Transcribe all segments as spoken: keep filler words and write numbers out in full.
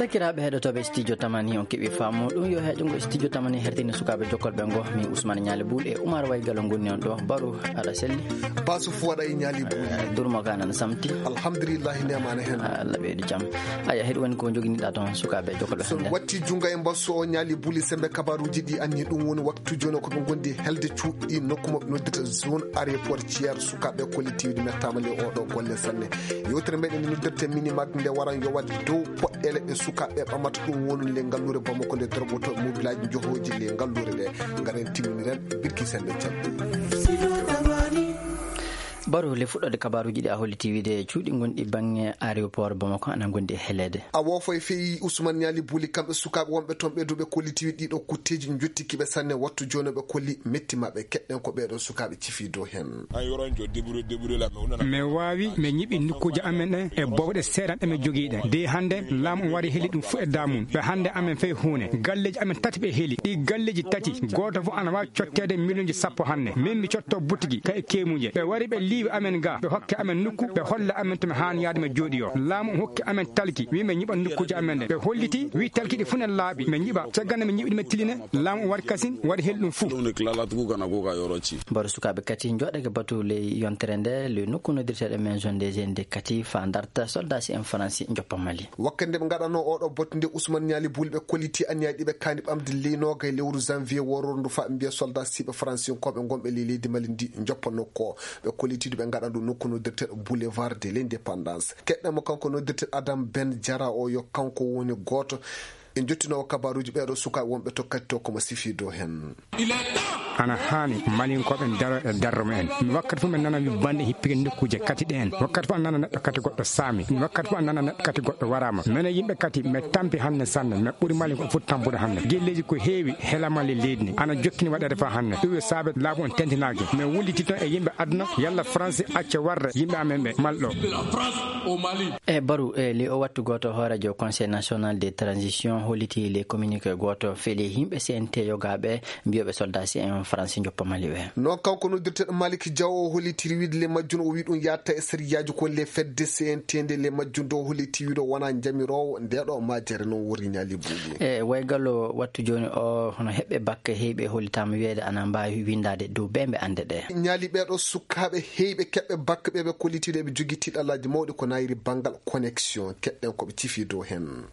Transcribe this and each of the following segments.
Sakiraaɓe heɗotooɓe Studio Tamani, on keɓi faamu ɗum yo heɗungo Studio Tamani hertini sukaaɓe jokkolɓe ngo. Min Ousmane Ñaali Buul e Oumar Way Galo ngoni on ɗo. Baro, aɗa selli? Basu fu waɗa e Ñaali Buul. Eh, durmo ka nan samti. Alhamdulillahi, nemana hen. Allah ɓeydu jam. Aya, heɗu woni ko joginiɗa toon sukaaɓe jokkolɓe so hannde? Watti junga e mbasso o Ñaali Buul, sembe kabaruji ɗi anni ɗum woni waktu jooni ko ɓe gondi helde cuuɗi nokku mo ɓe noddirta zone aéroport Thiers. Sukaaɓe kollitiiɗi mettaama le oɗo golle sanne. Yewtere meɗen nde noddirte Minimag nde waran yo waɗ dow poɗɗele ɗe sukaaɓe ɓamata ɗum wonun le ngalluure Bamako nde dorgoto mobilaaji johooji le ngalluure ɗe. Ngaren timminiren birki sende can. Baro le fuɗɗode kabaruji ɗi a holliti wiide cuuɗi gonɗi bange aéroport Bamako ana gondi e heleede. A woofo e feyi Ousmane Ñaali Buuli kamɓe sukaaɓe wonɓe toon ɓe duuɓe kollitiiɗi ɗiɗo kutteeji njottikiɓe sanne wattu jooni ɓe kolli metti maɓɓe keɗɗen ko ɓeeɗo sukaaɓe cifi dow heen. Mi waawi, mi ñiɓi nokkuuji amen ɗen e bowɗe seeɗa ɗe mi jogii ɗen. De hannde, laamu on wari heli ɗum fof e daamum. Ɓe hannde amen fay huune. Galleeji amen tati ɓe heli. Ɗi galleeji tati, gooto fof ana waawi cotteede miliyonji sappo hannde. Min mi cotto butigi ka e keemuuje. Ɓe wari ɓe liiwi amen ga, ɓe hokke amen nokku, ɓe holla amen to mi haani yaade mi jooɗi o. Laamu on hokki amen talki, wi mi ñiɓa nokkuuji amen ɗe. Ɓe holliti, wi talki ɗi fof ne laaɓi. Mi ñiɓa, caggal nde mi ñiɓi ɗi mi tellina, laamu on wari kasin, wari heli ɗum fof. Baro sukaaɓe kati jooɗake batu ley yontere nde, le nokku noddirteeɗo Maison des Jeunes de kati fa darta soldasi en Faransi joppa Mali. Wakkati nde ɓe ngaɗanoo oɗo botte nde Ousmane Ñaali Buuli ɓe kolliti anniyaji ɗi ɓe kaani ɓamde ley noogay lewru janvier wororo ndu fa ɓe mbiya soldat siɓe Faransinkooɓe gonɓe ley leydi Mali ndi joppa nokku o. Ɓe kolliti ndu ɓe ngaɗa ndu nokku noddirteeɗo Boulevard de l'Indépendance. Keɗɗen mo kanko noddirteeɗo Adam Ben Jara o yo kanko woni gooto e jottinoowo kabaruuji ɓeeɗo sukaaɓe wonɓe to kadi to komo sifi dow heen. Ana haani Malinkooɓe daro e darro mumen. Mi wakkati fof mi nana wi bande hippike nokkuuje kati ɗeen. Wakkati fof a nana neɗɗo kati goɗɗo saami. Wakkati fof a nana neɗɗo kati goɗɗo waraama. Mene yimɓe kati mi tampi hannde sanne. Mi ɓuri Malinkooɓe fof tampude hannde. Gelleeji ko heewi hela Mali leydi ndi. Ana jokkini waɗeede faa hannde. Ɗum yo saabe laamu on tentinaaki. Mi wulliti toon e yimɓe aduna yalla Faransi acca warde yimɓe amen ɓe Mali ɗo. E Baru, e ley o wattu gooto, hooreejo Conseil National de Transition holliti le communiqué gooto feli yimɓe C N T yogaaɓe mbiyooɓe soldat C N Faransi joppa Mali ɓe. Noon kanko noddirteeɗo Malick Diaw o hollitiri wiide le majjun o wi ɗum yaatta e sariyaaji ko le fedde C N T nde le majjun do holliti wiide o wonaa jamiroowo ndeeɗo majjere noon wori Ñaali Buuli. E waygal o wattu jooni o hono heɓɓe bakke heyɓe hollitaama wiyeede ana mbaawi winndaade dow beembe annde ɗe. Ñaali ɓeeɗo sukaaɓe heyɓe keɓɓe bakke ɓe ɓe kollitiiɗo eɓe jogii tiiɗallaaji mawɗi ko nayri banngal connexion keɗɗen ko ɓe cifi dow heen.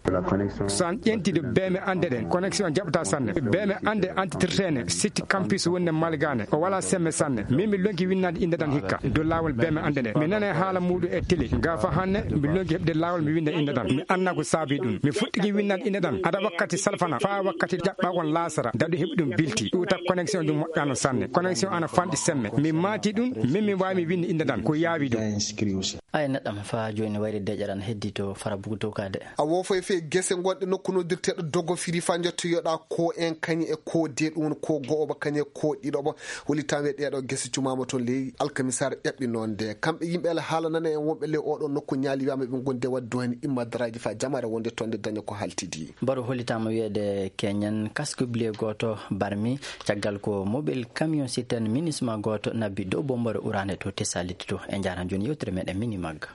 So an ƴeenti de beembe annde ɗen connexion jaɓata sanne. Beembe annde antitirteene sitti campus wonde Malgane o wala semme sanne. Min mi lonki winnaade innde ɗan hikka dow laawol beembe annde ɗen. Mi nane haala muuɗum e télé. Ga fa hannde mi lonki heɓde laawol mi winnda innde ɗan. Mi annda ko saabi ɗum. Mi fuɗɗiki winnaade innde ɗan ada wakkati salfana faa wakkati jaɓɓagol laasara daɗu heɓi ɗum bilti. Ɗuuta connexion ɗum moƴƴano sanne. Connexion ana fanɗi semme. Mi maati ɗum, min mi waawi mi winnde innde ɗan. Ko yaawi ɗum. Ay neɗɗam fa jooni wayde deƴaran heddi to fara bugu to kade. A woofo e fee gese gonɗe nokku noddirteeɗo dogo firi fa njottoyoɗa ko en kañi e ko de ɗum woni ko go'o ba kañi e ko ɗiɗo ba. Holi tawe ɗeeɗo gese cumaama toon ley alkamisaare ƴaɓɓi noon de. Kamɓe yimɓe ala haala nana en wonɓe ley oɗo nokku ñaali wiyaama ɓe gonde wadde dohen imma daraaji fa jamaare wonde toon de daña ko haltidi. Baro hollitaama wiyeede keñen casque bleu gooto barmi caggal ko mobile camion citerne minisma gooto nabbi dow bombore uraande to Tessalite to. E njaran jooni yewtere meɗen mini magga.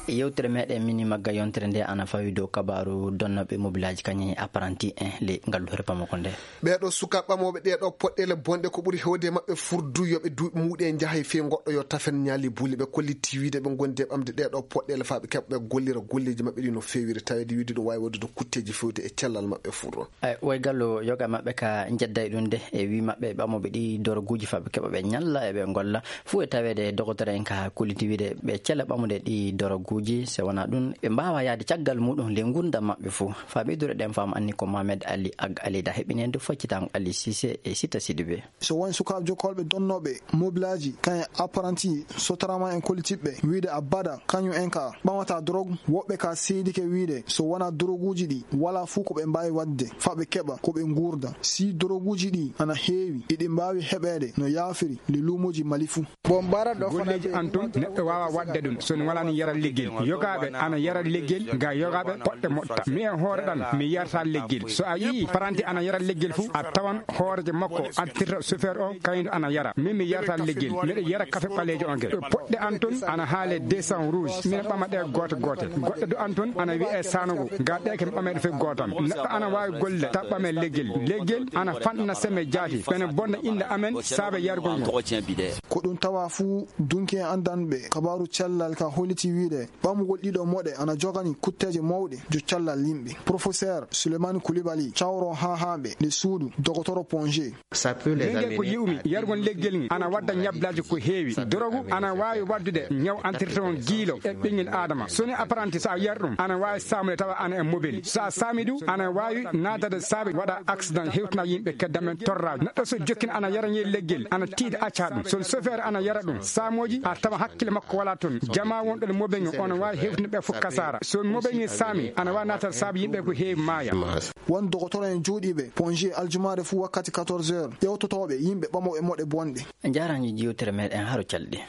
Yewtere meɗen mini magga yontere nde ana fawi dow kabaru donnooɓe mobilaaji kañum e apprenti en ley ngalluure Bamako nde. Ɓeeɗo suka ɓamooɓe ɗeeɗo poɗɗeele bonɗe ko ɓuri hewde e maɓɓe furdu yo ɓe duuɓi muuɗe njaha e fii goɗɗo yo tafen ñaali buuli ɓe kolliti wiide ɓe gondi e ɓamde ɗeeɗo poɗɗeele faa ɓe keɓa ɓe gollira golleeji maɓɓe ɗi no feewiri taweede wiide ɗum waawi waɗude kutteeji fewde e cellal maɓɓe furdo. Ay, woy gallo yoga maɓɓe ka njedday ɗum de e wi maɓɓe ɓamooɓe ɗi doroguuji faa ɓe keɓa ɓe ñalla e ɓe golla fuu e taweede dogotoro en ka kolliti wiide ɓe cela ɓamude ɗi doroguuji se wonaa ɗum ɓe mbaawa yahde caggal muɗum ley ngurndan maɓɓe fuu. Faa ɓeydude ɗen faamu anni ko Mohamed Ali Ag Alida heɓini en dow faccitango Ali Sise e Sita Sidibe. So won sukaaɓe jokkolɓe donnooɓe mobilaaji kañum e apprenti sotarama en kollitiɓɓe wiide abada kañum en ka ɓamata dorog woɓɓe ka seedike wiide so wonaa doroguuji ɗi walaa fuu ko ɓe mbaawi waɗde faa ɓe keɓa ko ɓe nguurda si doroguuji ɗi ana heewi eɗi mbaawi heɓeede no yaafiri ley luumooji Mali fuu. Golleeji an tun neɗɗo waawa waɗde ɗum so ne walaa ni yara liggel. Yogaaɓe ana yara leggel, ga yogaaɓe poɗɗe moɗta. Mi e hoore ɗan, mi yarata leggel. So a yii paranti ana yara leggel fu, a tawan hooreejo makko antirta chauffeur o, kayndo ana yara. Min mi yarata leggel, miɗo yara kafe ɓaleejo on ke. Poɗɗe an ton ana haale deux cents rouge, mina ɓama ɗe goote goote. Goɗɗe do an ton ana wi'e sanogo, ga ɗe ke ɓameɗe fe gootan. Neɗɗo ana waawi golle ta ɓame leggel. Leggel ana fanɗina seme jaati, ɓene bonna innde amen saabe yargol ngol. Ko ɗum tawa fuu dunki en anndanɓe kabaaru cellal ka holliti wiide ɓamugol ɗiɗo moɗe ana jogani kutteeje mawɗe jo cellal yimɓe. Professeur Souleymane Koulibaly, cawro haa haaɓe nde suudu dogotoro Ponge. Min ngel ko yi'umi, yargol leggel ngel ana wadda ñablaaji ko heewi. Dorogu ana waawi waddude ñaw antirtewon giilo e ɓinngel Aadama. So ni apprenti, so a yar ɗum, ana waawi saamude tawa ana e mobeli. So a saami ɗum, ana waawi naatade saabe waɗa accident, hewtina yimɓe kedda men torraaji. Neɗɗo so jokkina ana yara ngel leggel, ana tiiɗa acca ɗum. So chauffeur ana yara ɗum, saamooji a tawa hakkille makko wala ton. Jamaa wonɗo e mobel ngel, ona waawi hewtina ɓe fof kasaara. So mobel ngel saami, ana waawi naatade saabe yimɓe ko heewi maaya. Won dogotoro en jooɗiiɓe Ponge aljumaare fuu wakkati quatorze heures, ƴewtotooɓe yimɓe ɓamooɓe moɗe bonɗe. Njaaraanjo yewtere meɗen haro calɗi.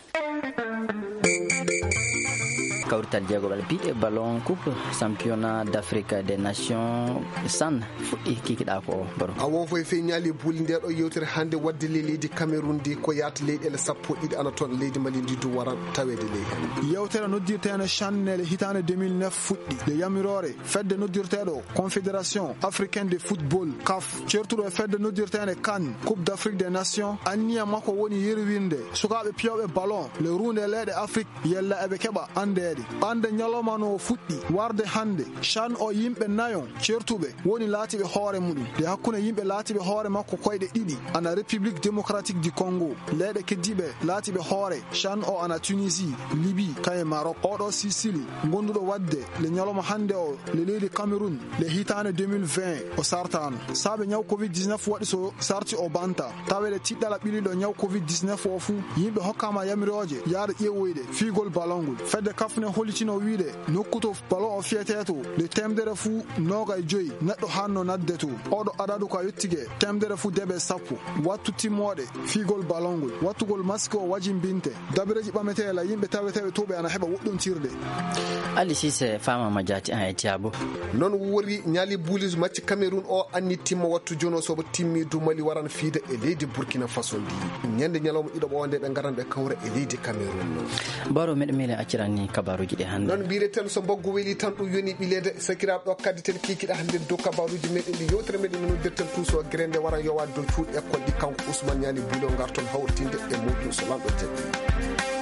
Kawrital jeegoɓal piɗe ballon coupe championnat d'Afrique des nations CHAN fuɗɗi kikiɗa ko o baro. A wofo e fey ñaali buuli nde ɗo yewtere hannde wadde ley leydi Cameroun ndi ko yaata leyɗeele sappo ɗiɗi ana toon leydi Mali ndi du waran taweede ley heen. Yewtere noddirteende CHAN nele hitaande deux mille neuf fuɗɗi nde yamiroore fedde noddirteeɗo Confédération Africaine de Football, CAF, ceertuɗo e fedde noddirteende CAN, Coupe d'Afrique des Nations, anniya makko woni yerwinde sukaaɓe piyooɓe ballon le ruunde leyɗe Afrik yella eɓe keɓa anndeede. Ɓande ñalawma no o fuɗɗi warde hannde, CHAN o yimɓe nayo ceertuɓe woni laatiiɓe hoore muɗum. Nde hakkunde yimɓe laatiiɓe hoore makko koyɗe ɗiɗi ana République Démocratique du Congo, leyɗe keddiiɓe laatiiɓe hoore CHAN o ana Tunisie, Libye, kaye Maroc. Oɗo Sisili gonduɗo wadde le ñalawma hannde o le leydi Cameroun le hitaande deux mille vingt o sartaano. Saabe ñaw covid dix-neuf waɗi so sarti o banta. Taweede tiɗɗala ɓiliɗo ñaw covid dix-neuf o fuu, yimɓe hokkaama yamirooje yaade ƴeewoyde fiigol ballon ngol. Fedde CAF ne hollitino wiide nokku to ballon o fiyetee to, nde teemedere fuu noogay joyi neɗɗo hanno nadde to. Oɗo adadu ka yottike teemedere fuu debe sappo. Wattu timmooɗe fiigol ballon ngol. Wattugol masque o wajimbinte. Dabireeji ɓametee la yimɓe taweteeɓe to ɓe ana heɓa woɗɗontirde. Ali Sise, faama ma jaati an e Tiago. Noon wori ñaali buulis macci Cameroun o anni timma wattu jono sobo timmi du Mali waran fiida e leydi Burkina Faso ndi. Ñande ñalawma ɗiɗo ɓo nde ɓe ngaran ɓe kawra e leydi Cameroun. Baro meɗen mele accirani kabaruji ɗi hannde. Noon mbireten so mboggu weli tan ɗum yoni ɓileede sakiraaɓe ɗo kaddi ten kiikiɗa hannde dow kabaruji meɗen ɗi yewtere meɗen noddirten tuuso grende waran yowaade dow cuuɗi école ɗi kanko Ousmane Ñaani Buulo ngarton hawtinde e muɗum so lamɗo jaɓi.